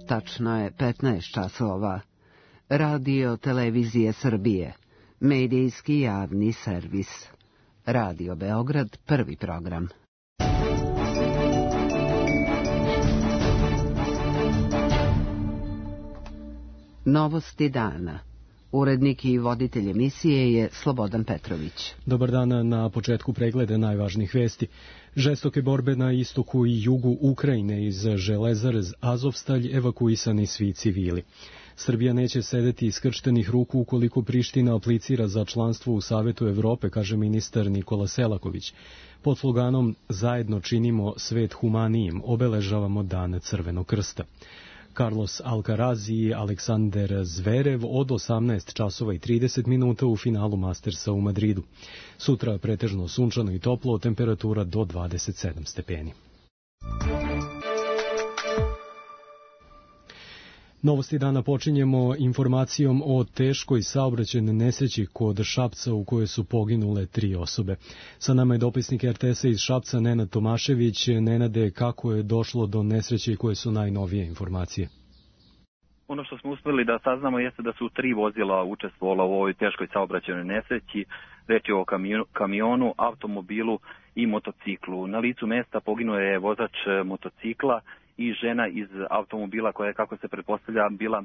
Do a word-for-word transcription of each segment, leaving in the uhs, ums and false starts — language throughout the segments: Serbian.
Tačno je petnaest časova. Radio Televizije Srbije. Medijski javni servis. Radio Beograd, prvi program. Novosti dana. Urednik i voditelj emisije je Slobodan Petrović. Dobar dan, na početku pregleda najvažnijih vesti. Žestoke borbe na istoku i jugu Ukrajine, iz Železare Azovstalj evakuisani svi civili. Srbija neće sedeti iskrštenih ruku ukoliko Priština aplicira za članstvo u Savetu Evrope, kaže ministar Nikola Selaković. Pod sloganom "Zajedno činimo svet humanijim" obeležavamo Dan Crvenog krsta. Carlos Alcaraz i Aleksander Zverev od osamnaest časova i trideset minuta u finalu Mastersa u Madridu. Sutra pretežno sunčano i toplo, temperatura do dvadeset sedam stepeni. Novosti dana počinjemo informacijom o teškoj saobraćajnoj nesreći kod Šapca u kojoj su poginule tri osobe. Sa nama je dopisnik er te esa iz Šapca Nenad Tomašević. Nenade, kako je došlo do nesreće i koje su najnovije informacije? Ono što smo uspeli da saznamo jeste da su tri vozila učestvovala u ovoj teškoj saobraćajnoj nesreći. Reč je o kamionu, automobilu i motociklu. Na licu mesta poginuo je vozač motocikla i žena iz automobila koja je, kako se pretpostavlja, bila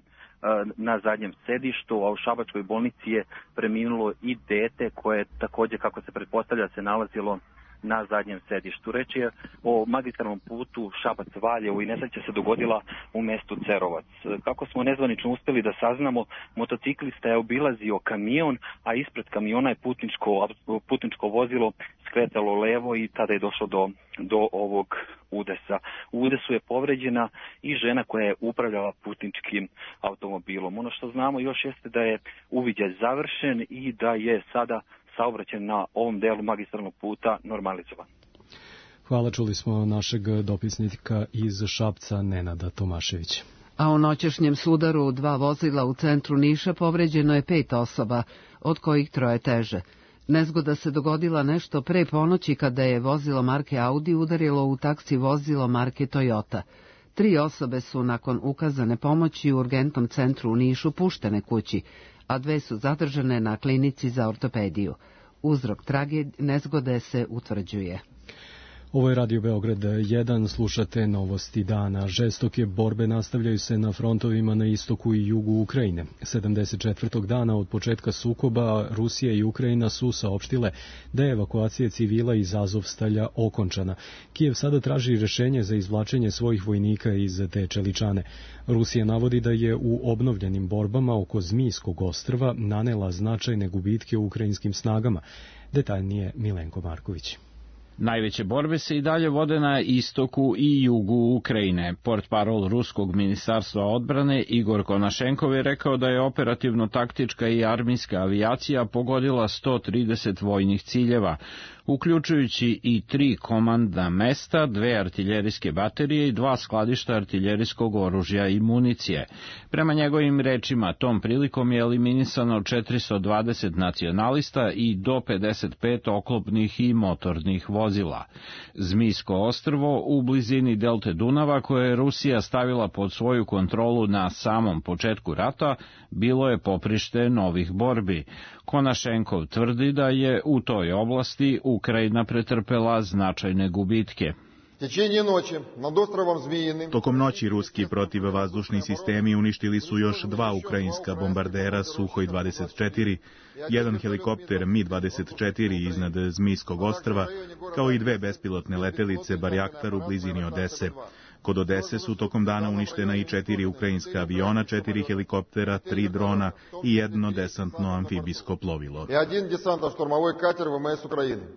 na zadnjem sedištu, a u šabačkoj bolnici je preminulo i dete koje također, kako se pretpostavlja, se nalazilo na zadnjem sedištu. Reč je o magistralnom putu Šabac-Valjevo i nesreća se dogodila u mestu Cerovac. Kako smo nezvanično uspeli da saznamo, motociklista je obilazio kamion, a ispred kamiona je putničko, putničko vozilo skretalo levo i tada je došlo do, do ovog udesa. U udesu je povređena i žena koja je upravljala putničkim automobilom. Ono što znamo još jeste da je uviđaj završen i da je sada saobraćaj na ovom delu magistralnog puta normalizovan. Hvala, čuli smo našeg dopisnika iz Šapca Nenada Tomaševića. A u noćešnjem sudaru dva vozila u centru Niša povređeno je pet osoba, od kojih troje teže. Nezgoda se dogodila nešto pre ponoći kada je vozilo marke Audi udarilo u taksi vozilo marke Toyota. Tri osobe su nakon ukazane pomoći u urgentnom centru u Nišu puštene kući, a dve su zadržane na klinici za ortopediju. Uzrok tragedije nezgode se utvrđuje. Ovo je Radio Beograd jedan, slušate novosti dana. Žestoke borbe nastavljaju se na frontovima na istoku i jugu Ukrajine. sedamdeset četvrtog dana od početka sukoba Rusija i Ukrajina su saopštile da je evakuacija civila iz Azovstalja okončana. Kijev sada traži rešenje za izvlačenje svojih vojnika iz te čeličane. Rusija navodi da je u obnovljenim borbama oko Zmijskog ostrva nanela značajne gubitke u ukrajinskim snagama. Detaljnije Milenko Marković. Najveće borbe se i dalje vode na istoku i jugu Ukrajine. Portparol Ruskog ministarstva odbrane Igor Konašenkov je rekao da je operativno-taktička i armijska avijacija pogodila sto trideset vojnih ciljeva, uključujući i tri komandna mesta, dve artiljerijske baterije i dva skladišta artiljerijskog oružja i municije. Prema njegovim rečima, tom prilikom je eliminisano četiristo dvadeset nacionalista i do pedeset pet oklopnih i motornih vozila. Zmijsko ostrvo u blizini delte Dunava, koje je Rusija stavila pod svoju kontrolu na samom početku rata, bilo je poprište novih borbi. Konašenkov tvrdi da je u toj oblasti Ukrajina pretrpela značajne gubitke. Tokom noći ruski protivvazdušni sistemi uništili su još dva ukrajinska bombardera Suhoj dvadeset četiri, jedan helikopter Mi dvadeset četiri iznad Zmijskog ostrva, kao i dve bespilotne letelice Barjaktar u blizini Odese. Kod Odese su tokom dana uništena i četiri ukrajinska aviona, četiri helikoptera, tri drona i jedno desantno amfibijsko plovilo.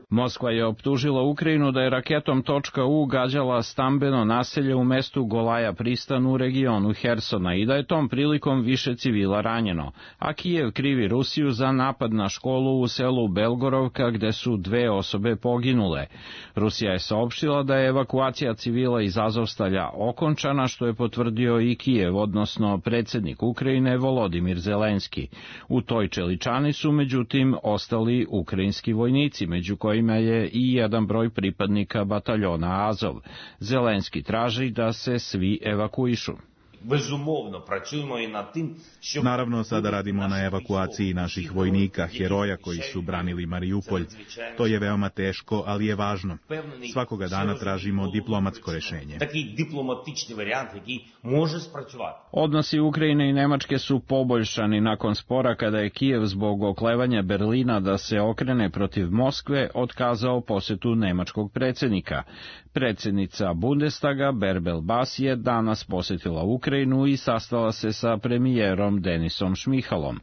Moskva je optužila Ukrajinu da je raketom .U gađala stambeno naselje u mestu Golaja Pristan u regionu Hersona i da je tom prilikom više civila ranjeno, a Kijev krivi Rusiju za napad na školu u selu Belgorovka gde su dve osobe poginule. Rusija je saopštila da je evakuacija civila iz Azovstalja okončana, što je potvrdio i Kijev, odnosno predsjednik Ukrajine Volodimir Zelenski. U toj čeličani su međutim ostali ukrajinski vojnici, među kojima je i jedan broj pripadnika bataljona Azov. Zelenski traži da se svi evakuišu. Naravno, sada radimo na evakuaciji naših vojnika, heroja koji su branili Mariupolj. To je veoma teško, ali je važno. Svakoga dana tražimo diplomatsko rešenje. Odnosi Ukrajine i Nemačke su poboljšani nakon spora kada je Kijev zbog oklevanja Berlina da se okrene protiv Moskve otkazao posetu nemačkog predsjednika. Predsjednica Bundestaga Bärbel Bas je danas posetila Ukrajinu i sastala se sa premijerom Denisom Šmihalom.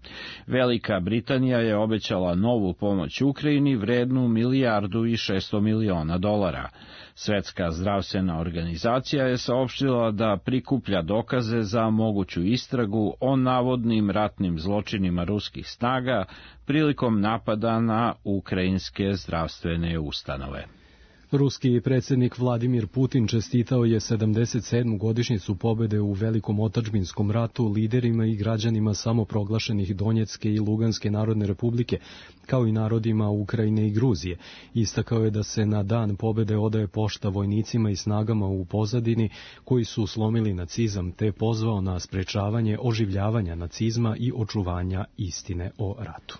Velika Britanija je obećala novu pomoć Ukrajini vrednu milijardu i šesto miliona dolara. Svetska zdravstvena organizacija je saopštila da prikuplja dokaze za moguću istragu o navodnim ratnim zločinima ruskih snaga prilikom napada na ukrajinske zdravstvene ustanove. Ruski predsjednik Vladimir Putin čestitao je sedamdeset sedmu godišnjicu pobjede u Velikom otadžbinskom ratu liderima i građanima samoproglašenih Donjecke i Luganske narodne republike, kao i narodima Ukrajine i Gruzije. Istakao je da se na dan pobjede odaje pošta vojnicima i snagama u pozadini koji su slomili nacizam, te pozvao na sprečavanje oživljavanja nacizma i očuvanja istine o ratu.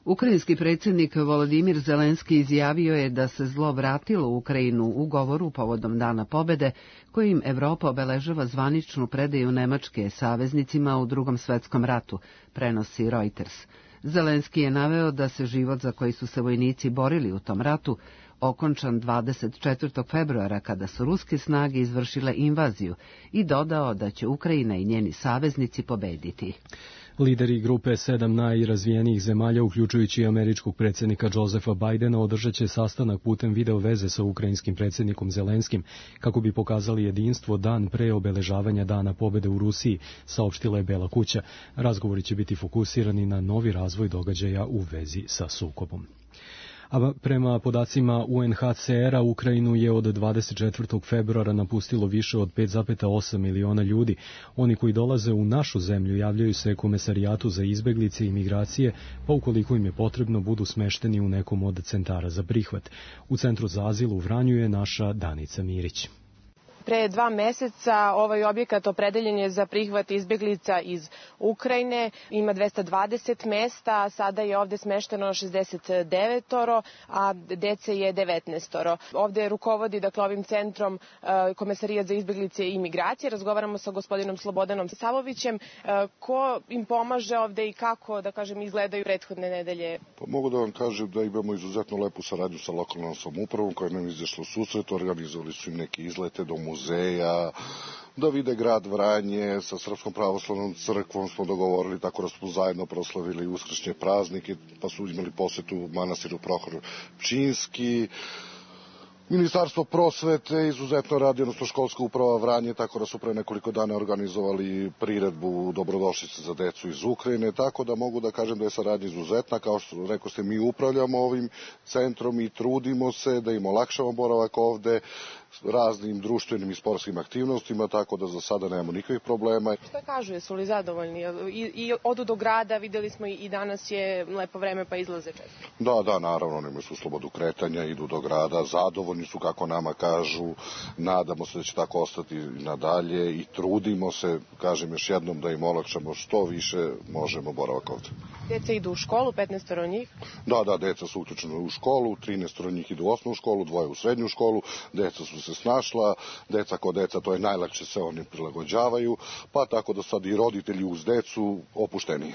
Ukrajinski predsjednik Volodimir Zelenski izjavio je da se zlo vratilo u Ukrajinu u govoru povodom Dana pobjede, kojim Evropa obeležava zvaničnu predaju Nemačke saveznicima u Drugom svetskom ratu, prenosi Reuters. Zelenski je naveo da se život za koji su se vojnici borili u tom ratu okončan dvadeset četvrtog februara kada su ruske snage izvršile invaziju i dodao da će Ukrajina i njeni saveznici pobediti. Lideri grupe sedam najrazvijenijih zemalja, uključujući američkog predsjednika Josepha Bidena, održat će sastanak putem video veze sa ukrajinskim predsjednikom Zelenskim, kako bi pokazali jedinstvo dan pre obeležavanja Dana pobjede u Rusiji, saopštila je Bela kuća. Razgovori će biti fokusirani na novi razvoj događaja u vezi sa sukobom. A prema podacima U N H C R-a, Ukrajinu je od dvadeset četvrtog februara napustilo više od pet zarez osam miliona ljudi. Oni koji dolaze u našu zemlju javljaju se Komesarijatu za izbeglice i migracije, pa ukoliko im je potrebno budu smešteni u nekom od centara za prihvat. U Centru za azil u Vranju je naša Danica Mirić. Pre dva meseca ovaj objekat opredeljen je za prihvat izbeglica iz Ukrajine. Ima dvesta dvadeset mesta, a sada je ovde smešteno šezdeset devetoro, a dece je devetnaestoro. Ovde rukovodi dakle, ovim centrom Komesarijat za izbeglice i migracije. Razgovaramo sa gospodinom Slobodanom Savovićem. Ko im pomaže ovde i kako, da kažem, izgledaju prethodne nedelje? Pa mogu da vam kažem da imamo izuzetno lepu saradnju sa lokalnom samoupravom koja nam izašla u susret. Organizovali su im neke izlete do muzeja, da vide grad Vranje. Sa Srpskom pravoslavnom crkvom smo dogovorili tako da smo zajedno proslavili uskršnje praznike, pa su imali posetu manastiru Prohor Pčinjski. Ministarstvo prosvete izuzetno radi, odnosno školska uprava Vranje, tako da su pre nekoliko dana organizovali priredbu dobrodošlice za decu iz Ukrajine, tako da mogu da kažem da je saradnja izuzetna. Kao što rekao ste, mi upravljamo ovim centrom i trudimo se da im olakšamo boravak ovde raznim društvenim i sportskim aktivnostima, tako da za sada nemamo nikakvih problema. Šta kažu, jesu li zadovoljni? I, i odu do grada, videli smo i danas je lepo vreme pa izlaze često. Da, da, naravno, nemaju su slobodu kretanja, idu do grada, zadovoljni su kako nama kažu, nadamo se da će tako ostati nadalje i trudimo se, kažem još jednom, da im olakšamo što više možemo boravak ovde. Deca idu u školu, petnaestoro njih? Da, da, deca su uključena u školu, trinaestoro njih idu u osnovnu školu, dvoje u srednju školu, deca su se snašla, deca ko deca, to je najlakše, se oni prilagođavaju, pa tako da sad i roditelji uz decu opušteniji.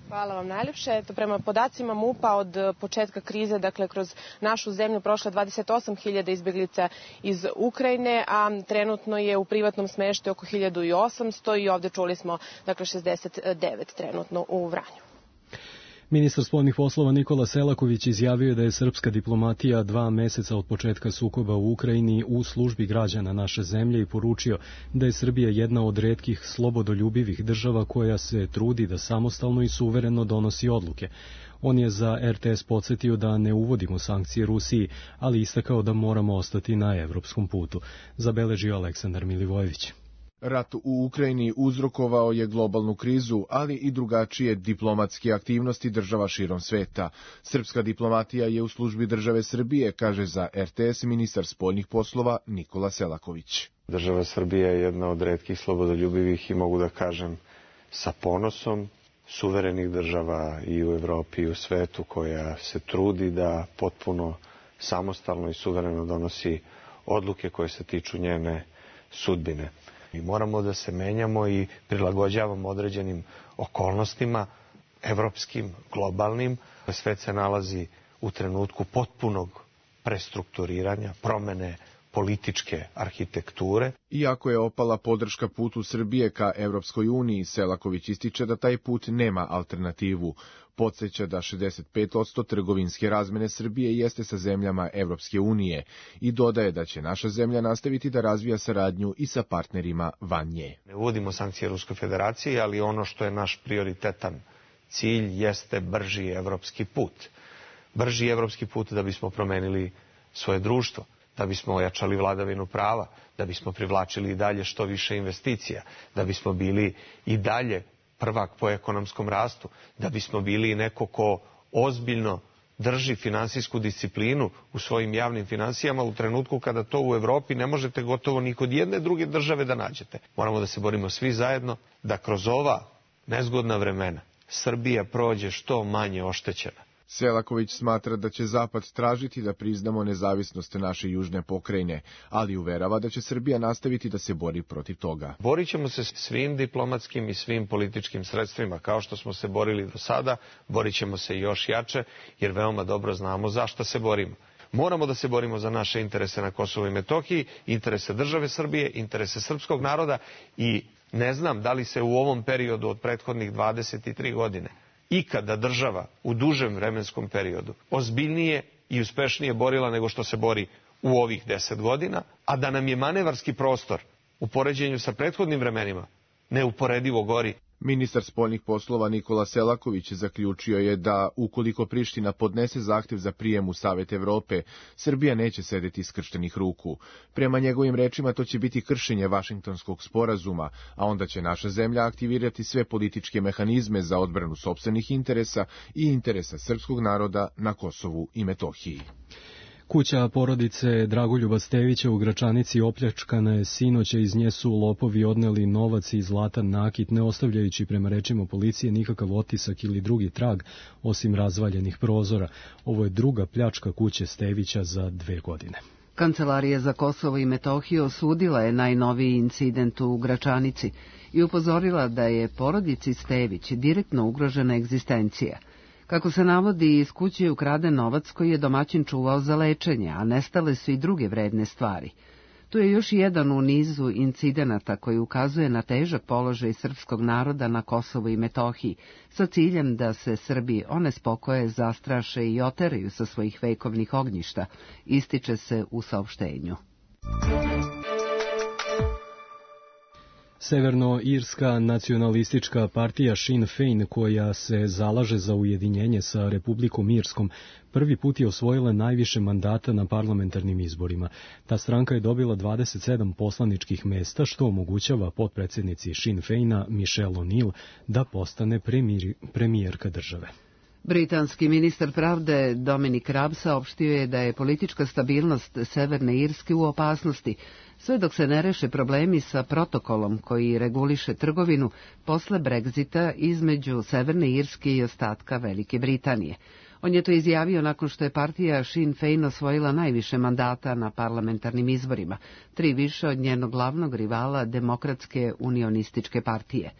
Hvala vam najljepše. Eto, prema podacima M U P-a od početka krize, dakle kroz našu zemlju prošla dvadeset osam hiljada izbeglica iz Ukrajine, a trenutno je u privatnom smeštaju oko hiljadu osamsto i ovde čuli smo dakle šezdeset devet trenutno u Vranju. Ministar spoljnih poslova Nikola Selaković izjavio je da je srpska diplomatija dva meseca od početka sukoba u Ukrajini u službi građana naše zemlje i poručio da je Srbija jedna od retkih slobodoljubivih država koja se trudi da samostalno i suvereno donosi odluke. On je za R T S podsjetio da ne uvodimo sankcije Rusiji, ali istakao da moramo ostati na evropskom putu, zabeležio Aleksandar Milivojević. Rat u Ukrajini uzrokovao je globalnu krizu, ali i drugačije diplomatske aktivnosti država širom sveta. Srpska diplomatija je u službi države Srbije, kaže za er te es ministar spoljnih poslova Nikola Selaković. Država Srbija je jedna od retkih slobodoljubivih i mogu da kažem sa ponosom suverenih država i u Evropi i u svetu koja se trudi da potpuno samostalno i suvereno donosi odluke koje se tiču njene sudbine. I moramo da se menjamo i prilagođavamo određenim okolnostima, evropskim, globalnim. Svet se nalazi u trenutku potpunog prestrukturiranja, promene političke arhitekture. Iako je opala podrška putu Srbije ka Evropskoj uniji, Selaković ističe da taj put nema alternativu. Podseća da šezdeset pet posto trgovinske razmene Srbije jeste sa zemljama Evropske unije i dodaje da će naša zemlja nastaviti da razvija saradnju i sa partnerima van nje. Ne uvodimo sankcije Ruskoj federaciji, ali ono što je naš prioritetan cilj jeste brži evropski put. Brži evropski put da bismo promenili svoje društvo, da bismo ojačali vladavinu prava, da bismo privlačili i dalje što više investicija, da bismo bili i dalje prvak po ekonomskom rastu, da bismo bili neko ko ozbiljno drži finansijsku disciplinu u svojim javnim finansijama u trenutku kada to u Evropi ne možete gotovo ni kod jedne druge države da nađete. Moramo da se borimo svi zajedno da kroz ova nezgodna vremena Srbija prođe što manje oštećena. Selaković smatra da će Zapad tražiti da priznamo nezavisnost naše južne pokrajine, ali uverava da će Srbija nastaviti da se bori protiv toga. Borit ćemo se svim diplomatskim i svim političkim sredstvima, kao što smo se borili do sada, borit ćemo se još jače, jer veoma dobro znamo zašto se borimo. Moramo da se borimo za naše interese na Kosovu i Metohiji, interese države Srbije, interese srpskog naroda i ne znam da li se u ovom periodu od prethodnih dvadeset tri godine ikada država u dužem vremenskom periodu ozbiljnije i uspešnije borila nego što se bori u ovih deset godina, a da nam je manevarski prostor u poređenju sa prethodnim vremenima neuporedivo gori. Ministar spoljnih poslova Nikola Selaković zaključio je da, ukoliko Priština podnese zahtev za prijem u Savet Evrope, Srbija neće sedeti skrštenih ruku. Prema njegovim rečima to će biti kršenje Vašingtonskog sporazuma, a onda će naša zemlja aktivirati sve političke mehanizme za odbranu sopstvenih interesa i interesa srpskog naroda na Kosovu i Metohiji. Kuća porodice Dragoljuba Stevića u Gračanici opljačkana je sinoć, iz nje su lopovi odneli novac i zlatan nakit, ne ostavljajući prema rečima policije nikakav otisak ili drugi trag, osim razvaljenih prozora. Ovo je druga pljačka kuće Stevića za dve godine. Kancelarija za Kosovo i Metohiju osudila je najnoviji incident u Gračanici i upozorila da je porodici Stević direktno ugrožena egzistencija. Kako se navodi, iz kuće je ukraden novac koji je domaćin čuvao za lečenje, a nestale su i druge vredne stvari. Tu je još jedan u nizu incidenata koji ukazuje na težak položaj srpskog naroda na Kosovu i Metohiji, sa ciljem da se Srbi onespokoje, zastraše i oteraju sa svojih vekovnih ognjišta, ističe se u saopštenju. Severnoirska nacionalistička partija Sinn Féin, koja se zalaže za ujedinjenje sa Republikom Irskom, prvi put je osvojila najviše mandata na parlamentarnim izborima. Ta stranka je dobila dvadeset sedam poslaničkih mesta, što omogućava potpredsjednici Sinn Féina Michelle O'Neill da postane premijer, premijerka države. Britanski ministar pravde Dominic Raab saopštio je da je politička stabilnost Severne Irske u opasnosti, sve dok se ne reše problemi sa protokolom koji reguliše trgovinu posle Brexita između Severne Irske i ostatka Velike Britanije. On je to izjavio nakon što je partija Sinn Féin osvojila najviše mandata na parlamentarnim izborima, tri više od njenog glavnog rivala Demokratske unionističke partije.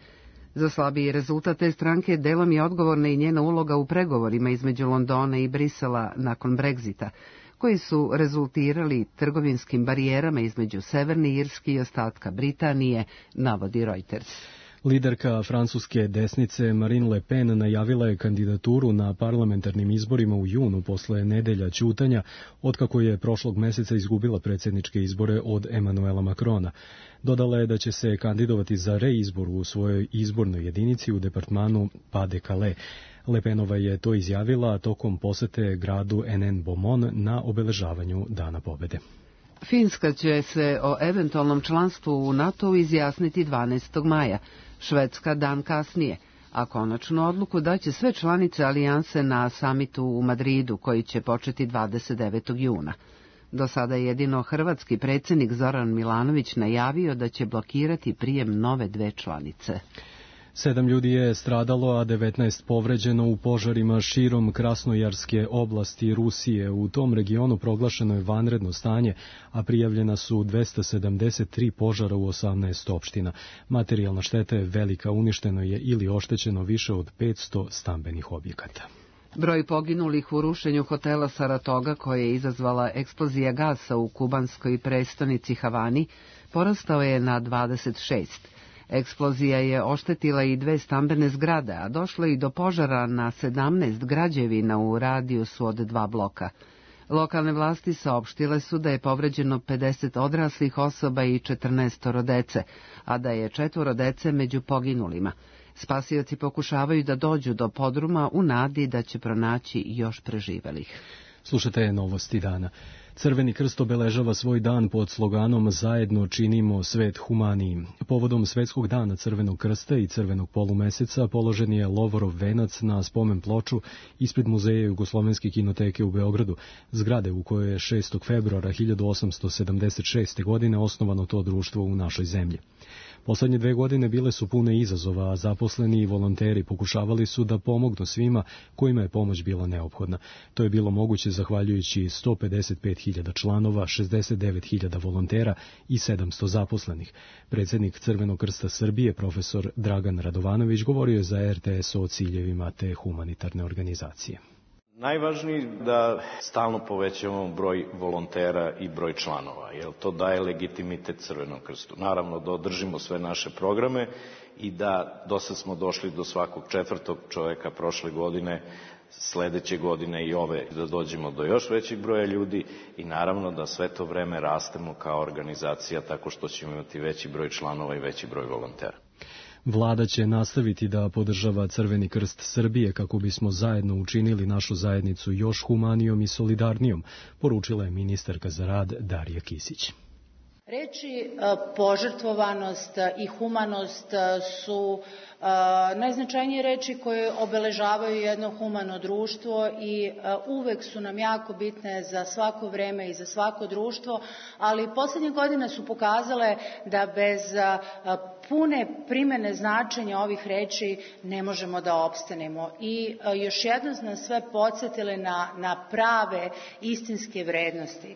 Za slabiji rezultat te stranke delom je odgovorna i njena uloga u pregovorima između Londona i Brisela nakon Brexita, koji su rezultirali trgovinskim barijerama između Severne Irske i ostatka Britanije, navodi Reuters. Liderka francuske desnice Marine Le Pen najavila je kandidaturu na parlamentarnim izborima u junu posle nedelja ćutanja, otkako je prošlog meseca izgubila predsjedničke izbore od Emmanuela Macrona. Dodala je da će se kandidovati za reizbor u svojoj izbornoj jedinici u departmanu Pas-de-Calais. Le Penova je to izjavila tokom posete gradu Hénin-Beaumont na obeležavanju Dana pobede. Finska će se o eventualnom članstvu u NATO izjasniti dvanaestog maja, Švedska dan kasnije, a konačnu odluku daće sve članice alijanse na samitu u Madridu, koji će početi dvadeset devetog juna. Do sada je jedino hrvatski predsjednik Zoran Milanović najavio da će blokirati prijem nove dve članice. Sedam ljudi je stradalo, a devetnaest povređeno u požarima širom Krasnojarske oblasti Rusije. U tom regionu proglašeno je vanredno stanje, a prijavljena su dvesta sedamdeset tri požara u osamnaest opština. Materijalna šteta je velika, uništeno je ili oštećeno više od petsto stambenih objekata. Broj poginulih u rušenju hotela Saratoga, koje je izazvala eksplozija gasa u kubanskoj prestonici Havani, porastao je na dvadeset šest. Eksplozija je oštetila i dve stambene zgrade, a došlo i do požara na sedamnaest građevina u radijusu od dva bloka. Lokalne vlasti saopštile su da je povređeno pedeset odraslih osoba i četrnaest dece, a da je četvoro dece među poginulima. Spasioci pokušavaju da dođu do podruma u nadi da će pronaći još preživelih. Slušate novosti dana. Crveni krst obeležava svoj dan pod sloganom Zajedno činimo svet humanijim. Povodom Svetskog dana Crvenog krsta i Crvenog polumeseca položen je Lovorov venac na spomen ploču ispred Muzeja Jugoslovenske kinoteke u Beogradu, zgrade u kojoj je šestog februara hiljadu osamsto sedamdeset šeste. godine osnovano to društvo u našoj zemlji. Poslednje dve godine bile su pune izazova, a zaposleni i volonteri pokušavali su da pomognu svima kojima je pomoć bila neophodna. To je bilo moguće zahvaljujući sto pedeset pet hiljada članova, šezdeset devet hiljada volontera i sedamsto zaposlenih. Predsjednik Crvenog krsta Srbije, profesor Dragan Radovanović, govorio je za er te es o ciljevima te humanitarne organizacije. Najvažniji da stalno povećamo broj volontera i broj članova, jer to daje legitimitet Crvenom krstu. Naravno da održimo sve naše programe i da do sad smo došli do svakog četvrtog čoveka prošle godine, sledeće godine i ove, da dođemo do još većeg broja ljudi i naravno da sve to vreme rastemo kao organizacija tako što ćemo imati veći broj članova i veći broj volontera. Vlada će nastaviti da podržava Crveni krst Srbije kako bismo zajedno učinili našu zajednicu još humanijom i solidarnijom, poručila je ministarka za rad Darija Kisić. Reči požrtvovanost i humanost su najznačajnije reči koje obeležavaju jedno humano društvo i uvek su nam jako bitne za svako vreme i za svako društvo, ali poslednje godine su pokazale da bez pune primene značenja ovih reči ne možemo da opstanemo. I još jednom nas sve podsjetile na, na prave istinske vrednosti.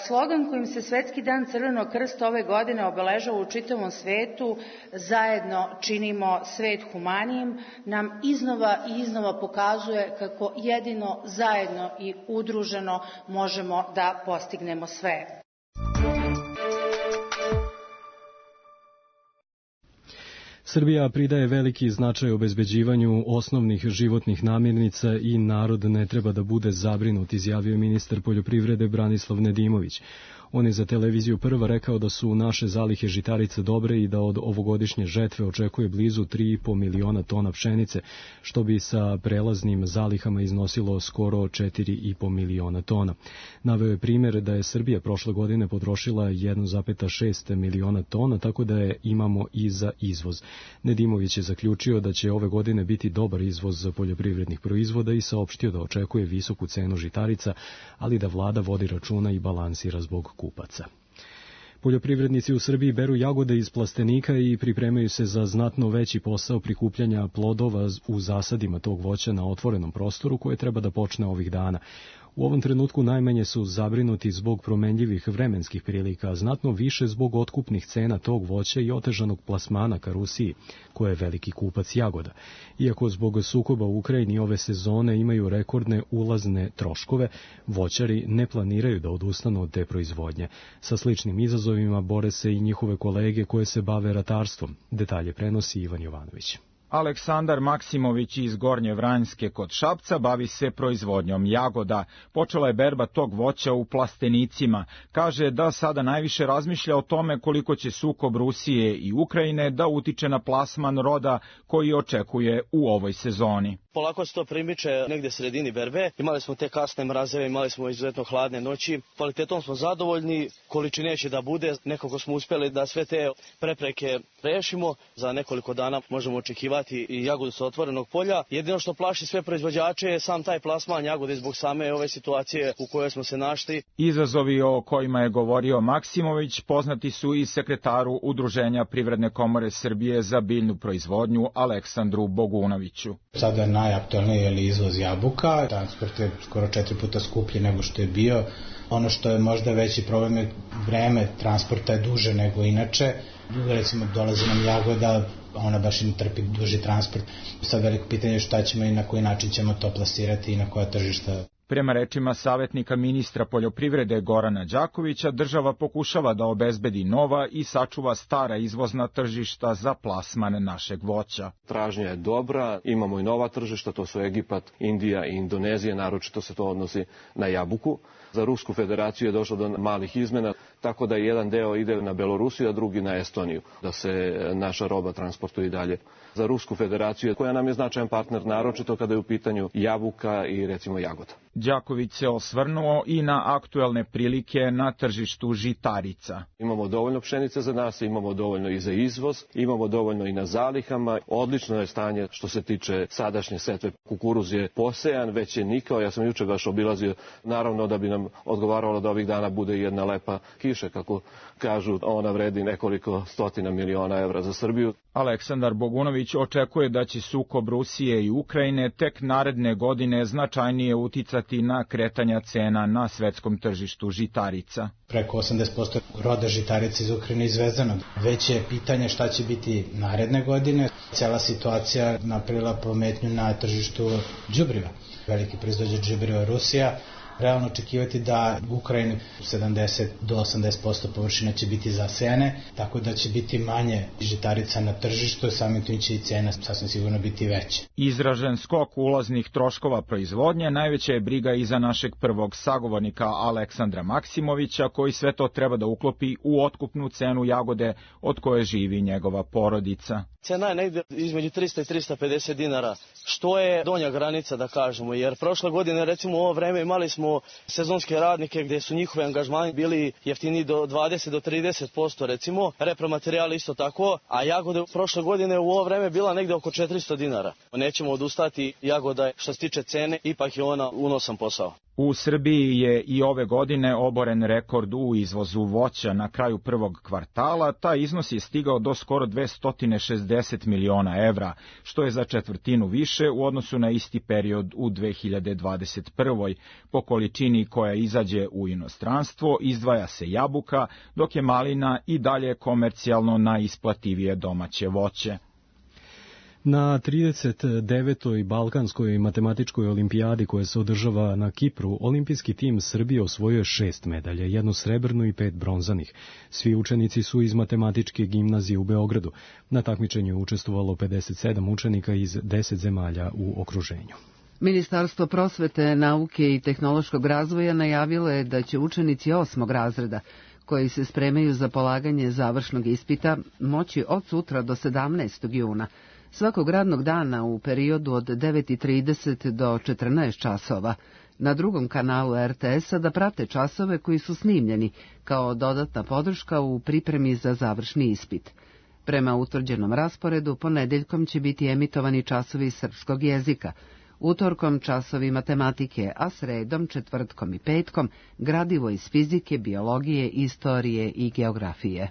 Slogan kojim se Svetski dan Crvenog krsta ove godine obeležava u čitavom svetu, zajedno činimo svet humanijim, nam iznova i iznova pokazuje kako jedino zajedno i udruženo možemo da postignemo sve. Srbija pridaje veliki značaj obezbeđivanju osnovnih životnih namirnica i narod ne treba da bude zabrinut, izjavio ministar poljoprivrede Branislav Nedimović. On je za televiziju Prva rekao da su naše zalihe žitarica dobre i da od ovogodišnje žetve očekuje blizu tri i po miliona tona pšenice, što bi sa prelaznim zalihama iznosilo skoro četiri i po miliona tona. Naveo je primjer da je Srbija prošle godine potrošila jedan zarez šest miliona tona, tako da je imamo i za izvoz. Nedimović je zaključio da će ove godine biti dobar izvoz poljoprivrednih proizvoda i saopštio da očekuje visoku cenu žitarica, ali da vlada vodi računa i balansira zbog kupaca. Poljoprivrednici u Srbiji beru jagode iz plastenika i pripremaju se za znatno veći posao prikupljanja plodova u zasadima tog voća na otvorenom prostoru koje treba da počne ovih dana. U ovom trenutku najmanje su zabrinuti zbog promenljivih vremenskih prilika, a znatno više zbog otkupnih cena tog voća i otežanog plasmana ka Rusiji, koja je veliki kupac jagoda. Iako zbog sukoba u Ukrajini ove sezone imaju rekordne ulazne troškove, voćari ne planiraju da odustanu od te proizvodnje. Sa sličnim izazovima bore se i njihove kolege koje se bave ratarstvom. Detalje prenosi Ivan Jovanović. Aleksandar Maksimović iz Gornje Vranjske kod Šapca bavi se proizvodnjom jagoda. Počela je berba tog voća u plastenicima. Kaže da sada najviše razmišlja o tome koliko će sukob Rusije i Ukrajine da utiče na plasman roda koji očekuje u ovoj sezoni. Polako se to primiče negde sredini berbe. Imali smo te kasne mrazeve, imali smo izuzetno hladne noći. Kvalitetom smo zadovoljni, količine će da bude. Nekako smo uspjeli da sve te prepreke rešimo. Za nekoliko dana možemo očekivati i jagodu sa otvorenog polja. Jedino što plaši sve proizvođače je sam taj plasman jagode zbog same ove situacije u kojoj smo se našli. Izazovi o kojima je govorio Maksimović poznati su i sekretaru Udruženja Privredne komore Srbije za biljnu proizvodnju Aleksandru Bogunoviću. Sada je najaktualniji je izvoz jabuka, transport je skoro četiri puta skuplji nego što je bio. Ono što je možda veći problem je vreme transporta je duže nego inače. Recimo dolazi nam jagoda, ona baš i trpi duži transport. Sad veliko pitanje je šta ćemo i na koji način ćemo to plasirati i na koja tržišta. Prema rečima savjetnika ministra poljoprivrede Gorana Đakovića, država pokušava da obezbedi nova i sačuva stara izvozna tržišta za plasman našeg voća. Tražnja je dobra, imamo i nova tržišta, to su Egipat, Indija i Indonezija, naročito se to odnosi na jabuku. Za Rusku federaciju je došlo do malih izmena, tako da jedan deo ide na Belorusiju, a drugi na Estoniju, da se naša roba transportuje i dalje. Za Rusku federaciju, koja nam je značajan partner, naročito kada je u pitanju jabuka i recimo jagoda. Đaković se osvrnuo i na aktuelne prilike na tržištu žitarica. Imamo dovoljno pšenice za nas, imamo dovoljno i za izvoz, imamo dovoljno i na zalihama. Odlično je stanje što se tiče sadašnje setve. Kukuruz je posejan, već je nikao. Ja sam juče baš obilazio, naravno da bi nam odgovaralo da ovih dana bude jedna lepa kiša, kako kažu, ona vredi nekoliko stotina miliona evra za Srbiju. Aleksandar Bogunović očekuje da će sukob Rusije i Ukrajine tek naredne godine značajnije uticati na kretanja cena na svetskom tržištu žitarica. Preko osamdeset posto roda žitarica iz Ukrajine izvezeno. Već je pitanje šta će biti naredne godine. Cela situacija napravila pometnju na tržištu đubriva. Veliki proizvođač đubriva Rusija. Realno očekivati da u Ukrajini sedamdeset do osamdeset posto površina će biti zasejane, tako da će biti manje žitarica na tržištu, samim tim će i cena sasvim sigurno biti veća. Izražen skok ulaznih troškova proizvodnje najveća je briga i za našeg prvog sagovornika Aleksandra Maksimovića, koji sve to treba da uklopi u otkupnu cenu jagode od koje živi njegova porodica. Cena je negde između trista i trista pedeset dinara, što je donja granica da kažemo, jer prošle godine recimo u ovo vreme imali smo sezonske radnike gdje su njihovi angažmani bili jeftini do dvadeset do trideset posto recimo, repromaterijal isto tako, a jagode prošle godine u ovo vreme bila negde oko četiristo dinara. Nećemo odustati, jagoda što se tiče cene, ipak je ona unosan posao. U Srbiji je i ove godine oboren rekord u izvozu voća na kraju prvog kvartala, taj iznos je stigao do skoro dvesta šezdeset miliona evra, što je za četvrtinu više u odnosu na isti period u dve hiljade dvadeset prvoj. Po količini koja izađe u inostranstvo izdvaja se jabuka, dok je malina i dalje komercijalno najisplativije domaće voće. Na trideset devetoj Balkanskoj matematičkoj olimpijadi koja se održava na Kipru, olimpijski tim Srbije osvojio šest medalja, jednu srebrnu i pet bronzanih. Svi učenici su iz matematičke gimnazije u Beogradu. Na takmičenju je učestvovalo pedeset sedam učenika iz deset zemalja u okruženju. Ministarstvo prosvete, nauke i tehnološkog razvoja najavilo je da će učenici osmog razreda koji se spremaju za polaganje završnog ispita moći od sutra do sedamnaestog juna svakog radnog dana u periodu od devet i trideset do četrnaest časova na drugom kanalu er te es-a da prate časove koji su snimljeni kao dodatna podrška u pripremi za završni ispit. Prema utvrđenom rasporedu, ponedeljkom će biti emitovani časovi srpskog jezika, utorkom časovi matematike, a sredom, četvrtkom i petkom gradivo iz fizike, biologije, istorije i geografije.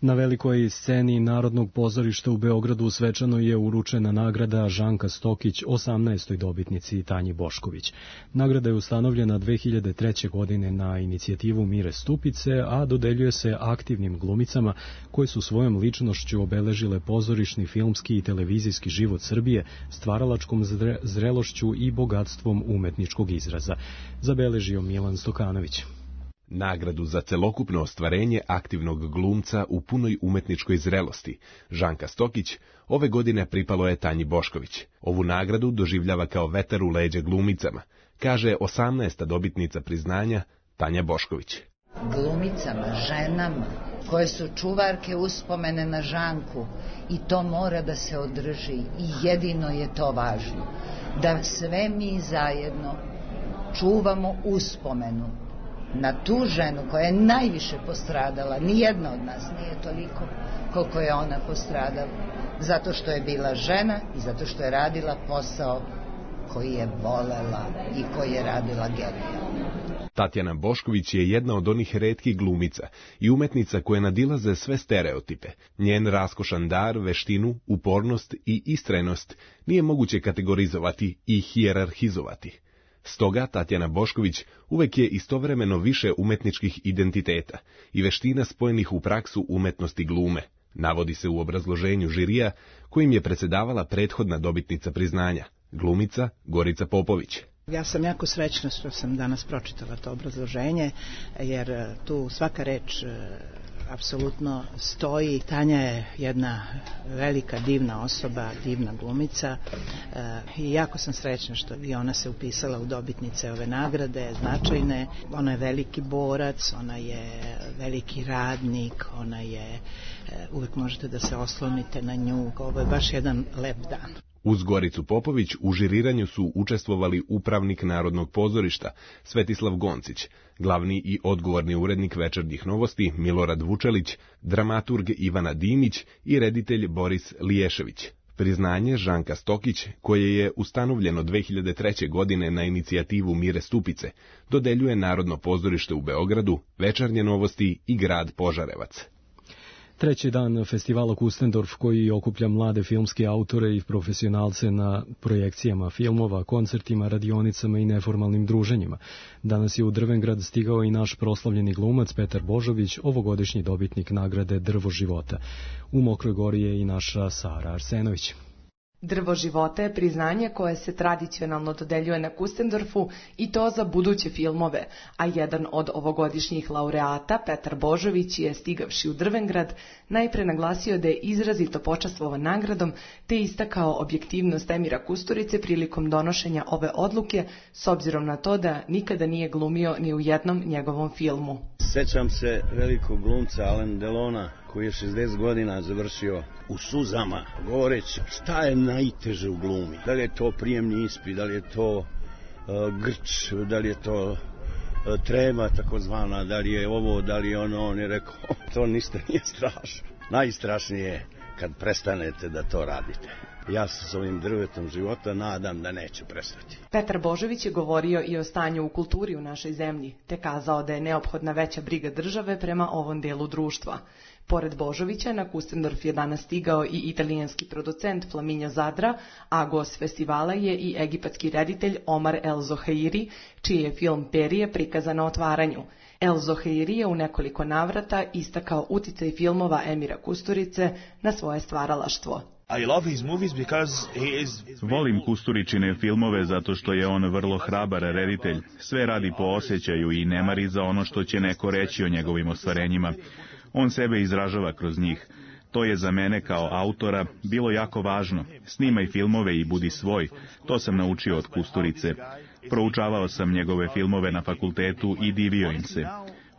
Na velikoj sceni Narodnog pozorišta u Beogradu svečano je uručena nagrada Žanka Stokić osamnaestoj dobitnici Tanji Bošković. Nagrada je ustanovljena dve hiljade treće. godine na inicijativu Mire Stupice, a dodeljuje se aktivnim glumicama koje su svojom ličnošću obeležile pozorišni, filmski i televizijski život Srbije, stvaralačkom zrelošću i bogatstvom umetničkog izraza. Zabeležio Milan Stokanović. Nagradu za celokupno ostvarenje aktivnog glumca u punoj umetničkoj zrelosti, Žanka Stokić, ove godine pripalo je Tanji Bošković. Ovu nagradu doživljava kao vetar u leđa glumicama, kaže osamnaesta dobitnica priznanja Tanja Bošković. glumicama, ženama, koje su čuvarke uspomene na Žanku i to mora da se održi i jedino je to važno. Da sve mi zajedno čuvamo uspomenu na tu ženu koja je najviše postradala. Nijedna od nas nije toliko koliko je ona postradala. Zato što je bila žena i zato što je radila posao koji je volela i koji je radila genijalno. Tatjana Bošković je jedna od onih retkih glumica i umetnica koje nadilaze sve stereotipe. Njen raskošan dar, veštinu, upornost i istrajnost nije moguće kategorizovati i hijerarhizovati. Stoga Tatjana Bošković uvek je istovremeno više umetničkih identiteta i veština spojenih u praksu umetnosti glume, navodi se u obrazloženju žirija kojim je predsedavala prethodna dobitnica priznanja, glumica Gorica Popović. Ja sam jako srećna što sam danas pročitala to obrazloženje, jer tu svaka reč apsolutno stoji. Tanja je jedna velika, divna osoba, divna glumica i jako sam srećna što i ona se upisala u dobitnice ove nagrade, značajne. Ona je veliki borac, ona je veliki radnik, ona je, uvek možete da se oslonite na nju. Ovo je baš jedan lep dan. Uz Goricu Popović u žiriranju su učestvovali upravnik Narodnog pozorišta Svetislav Goncić, glavni i odgovorni urednik Večernjih novosti Milorad Vučelić, dramaturg Ivana Dimić i reditelj Boris Liješević. Priznanje Žanka Stokić, koje je ustanovljeno dve hiljade treće. godine na inicijativu Mire Stupice, dodeljuje Narodno pozorište u Beogradu, Večernje novosti i grad Požarevac. Treći dan festivala Kustendorf, koji okuplja mlade filmske autore i profesionalce na projekcijama filmova, koncertima, radionicama i neformalnim druženjima. Danas je u Drvengrad stigao i naš proslavljeni glumac Petar Božović, ovogodišnji dobitnik nagrade Drvo života. U Mokroj Gori je i naša Sara Arsenović. Drvo života je priznanje koje se tradicionalno dodeljuje na Kustendorfu i to za buduće filmove, a jedan od ovogodišnjih laureata, Petar Božović, je stigavši u Drvengrad najpre naglasio da je izrazito počastvovan nagradom te istakao objektivnost Emira Kusturice prilikom donošenja ove odluke s obzirom na to da nikada nije glumio ni u jednom njegovom filmu. Sećam se velikog glumca Alain Delona koji je šezdeset godina završio u suzama, govoreći šta je najteže u glumi. Da li je to prijemni ispit, da li je to uh, grč, da li je to uh, trema takozvana, da li je ovo, da li je ono. On je rekao, to ništa nije strašno. Najstrašnije je kad prestanete da to radite. Ja se s ovim drvetom života nadam da neću prestati. Petar Božović je govorio i o stanju u kulturi u našoj zemlji, te kazao da je neophodna veća briga države prema ovom delu društva. Pored Božovića, na Kustendorf je danas stigao i italijanski producent Flaminio Zadra, a gost festivala je i egipatski reditelj Omar El Zohairi, čiji je film Perije prikazan na otvaranju. El Zohairi je u nekoliko navrata istakao uticaj filmova Emira Kusturice na svoje stvaralaštvo. Volim Kusturičine filmove zato što je on vrlo hrabar reditelj. Sve radi po osjećaju i ne mari za ono što će neko reći o njegovim ostvarenjima. On sebe izražava kroz njih. To je za mene kao autora bilo jako važno. Snimaj filmove i budi svoj. To sam naučio od Kusturice. Proučavao sam njegove filmove na fakultetu i divio im se.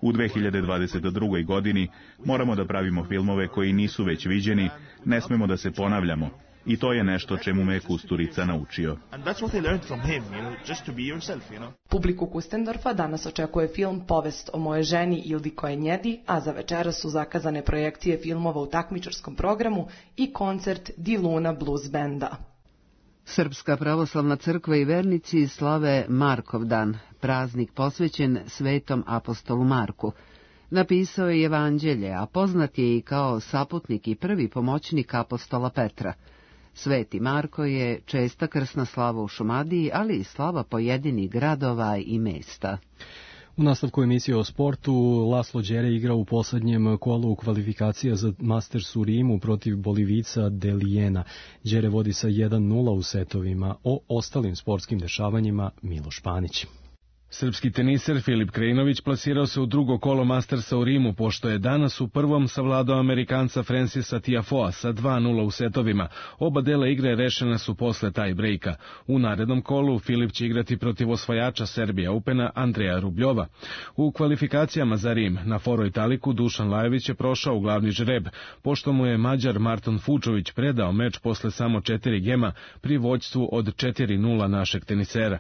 U dve hiljade dvadeset drugoj. godini moramo da pravimo filmove koji nisu već viđeni, ne smemo da se ponavljamo. I to je nešto čemu me Kusturica naučio. Publiku Kustendorfa danas očekuje film Povest o moje ženi Ildiko Enjedi, a za večeras su zakazane projekcije filmova u takmičarskom programu i koncert Di Luna Blues Benda. Srpska pravoslavna crkva i vernici slave Markov dan, praznik posvećen svetom apostolu Marku. Napisao je Evanđelje, a poznat je i kao saputnik i prvi pomoćnik apostola Petra. Sveti Marko je česta krsna slava u Šumadiji, ali i slava pojedinih gradova i mesta. U nastavku emisije o sportu, Laslo Đere igra u poslednjem kolu kvalifikacija za Masters u Rimu protiv Bolivica Delijena. Đere vodi sa jedan nula u setovima. O ostalim sportskim dešavanjima Miloš Panić. Srpski teniser Filip Krajinović plasirao se u drugo kolo Mastersa u Rimu, pošto je danas u prvom savladao Amerikanca Francisa Tiafoea sa dva nula u setovima. Oba dela igre rešene su posle tie breaka. U narednom kolu Filip će igrati protiv osvajača Serbija Opena Andreja Rubljova. U kvalifikacijama za Rim na Foro Italiku Dušan Lajović je prošao u glavni žreb, pošto mu je Mađar Marton Fučović predao meč posle samo četiri gema pri vođstvu od četiri nula našeg tenisera.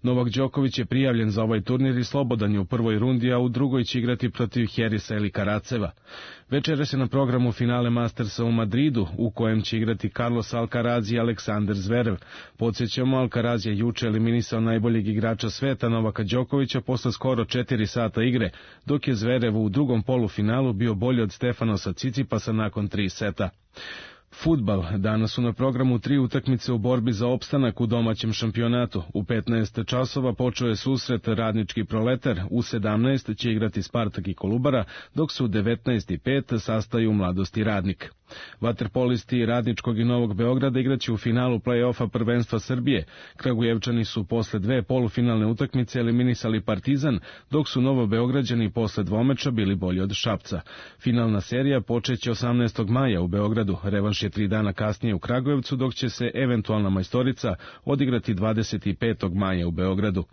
Novak Đoković je prijavljen za ovaj turnir i slobodan je u prvoj rundi, a u drugoj će igrati protiv Herisa ili Karaceva. Večeras je na programu finale Mastersa u Madridu, u kojem će igrati Carlos Alcaraz i Aleksandar Zverev. Podsjećamo, Alcaraz je juče eliminisao najboljeg igrača sveta Novaka Đokovića posle skoro četiri sata igre, dok je Zverev u drugom polufinalu bio bolji od Stefanosa Cicipasa nakon tri seta. Fudbal. Danas su na programu tri utakmice u borbi za opstanak u domaćem šampionatu. U petnaest časova počeo je susret Radnički Proletar, u sedamnaest će igrati Spartak i Kolubara, dok su u devetnaest i pet sastaju Mladost i Radnik. Vaterpolisti Radničkog i Novog Beograda igraće u finalu play-offa prvenstva Srbije. Kragujevčani su posle dve polufinalne utakmice eliminisali Partizan, dok su Novobeograđani posle dvomeča bili bolji od Šapca. Finalna serija počeće osamnaestog maja u Beogradu, revanš je tri dana kasnije u Kragujevcu, dok će se eventualna majstorica odigrati dvadeset petog maja u Beogradu.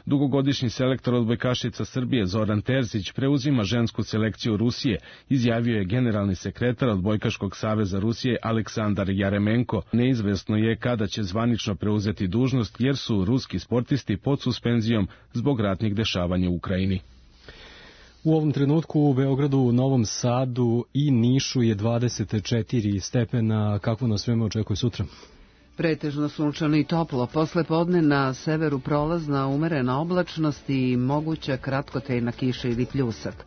Dugogodišnji selektor odbojkašica Srbije Zoran Terzić preuzima žensku selekciju Rusije, izjavio je generalni sekretar Odbojkaškog saveza Rusije Aleksandar Jaremenko. Neizvesno je kada će zvanično preuzeti dužnost, jer su ruski sportisti pod suspenzijom zbog ratnih dešavanja u Ukrajini. U ovom trenutku u Beogradu, Novom Sadu i Nišu je dvadeset četiri stepena. Kakvo nas vreme očekuje sutra? Pretežno sunčano i toplo, posle podne na severu prolazna umerena oblačnost i moguća kratkotrajna kiša ili pljusak.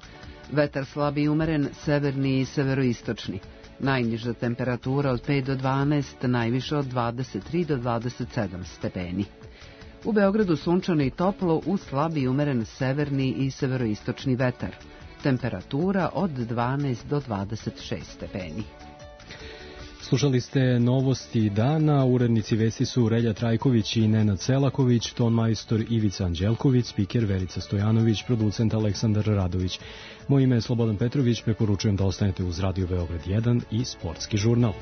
Vetar slab i umeren, severni i severoistočni. Najniža temperatura od pet do dvanaest, najviše od dvadeset tri do dvadeset sedam stepeni. U Beogradu sunčano i toplo uz slab i umeren severni i severoistočni vetar. Temperatura od dvanaest do dvadeset šest stepeni. Slušali ste novosti dana, urednici vesti su Relja Trajković i Nenad Selaković, ton majstor Ivica Anđelković, spiker Verica Stojanović, producent Aleksandar Radović. Moje ime je Slobodan Petrović, preporučujem da ostanete uz Radio Beograd jedan i Sportski žurnal.